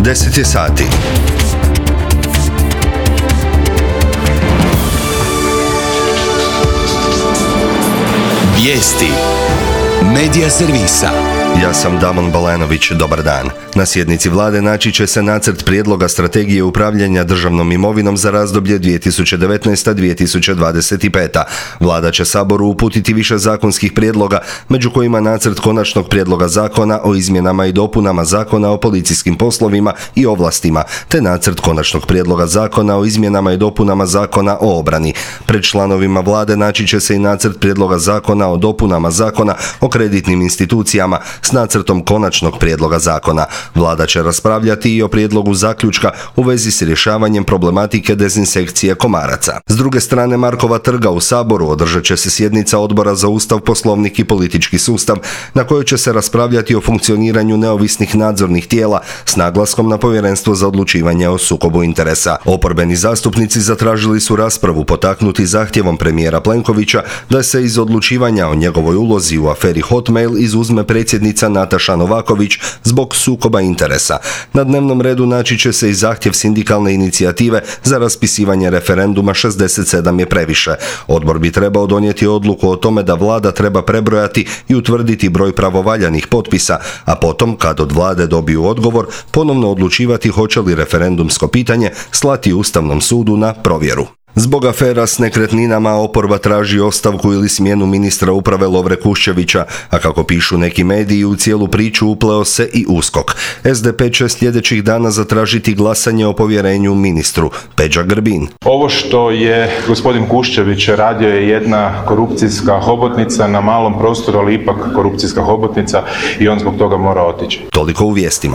10 je sati. Vijesti Medija servisa. Ja sam Damon Balanović, dobar dan. Na sjednici vlade naći će se nacrt prijedloga strategije upravljanja državnom imovinom za razdoblje 2019-2025. Vlada će Saboru uputiti više zakonskih prijedloga, među kojima nacrt konačnog prijedloga zakona o izmjenama i dopunama Zakona o policijskim poslovima i ovlastima, te nacrt konačnog prijedloga zakona o izmjenama i dopunama Zakona o obrani. Pred članovima vlade naći će se i nacrt prijedloga zakona o dopunama Zakona o kreditnim institucijama s nacrtom konačnog prijedloga zakona. Vlada će raspravljati i o prijedlogu zaključka u vezi s rješavanjem problematike dezinsekcije komaraca. S druge strane Markova trga u Saboru održat će se sjednica Odbora za Ustav, Poslovnik i politički sustav, na kojoj će se raspravljati o funkcioniranju neovisnih nadzornih tijela s naglaskom na Povjerenstvo za odlučivanje o sukobu interesa. Oporbeni zastupnici zatražili su raspravu potaknuti zahtjevom premijera Plenkovića da se iz odlučivanja o njegovoj ulozi u aferi Hotmail izuzme predsjednica Nataša Novaković zbog sukoba interesa. Na dnevnom redu naći će se i zahtjev sindikalne inicijative za raspisivanje referenduma 67 je previše. Odbor bi trebao donijeti odluku o tome da vlada treba prebrojati i utvrditi broj pravovaljanih potpisa, a potom, kad od vlade dobiju odgovor, ponovno odlučivati hoće li referendumsko pitanje slati Ustavnom sudu na provjeru. Zbog afera s nekretninama oporba traži ostavku ili smjenu ministra uprave Lovre Kuščevića, a kako pišu neki mediji, u cijelu priču upleo se i USKOK. SDP će sljedećih dana zatražiti glasanje o povjerenju ministru. Peđa Grbin. Ovo što je gospodin Kuščević radio je jedna korupcijska hobotnica na malom prostoru, ali ipak korupcijska hobotnica i on zbog toga mora otići. Toliko u vijestima.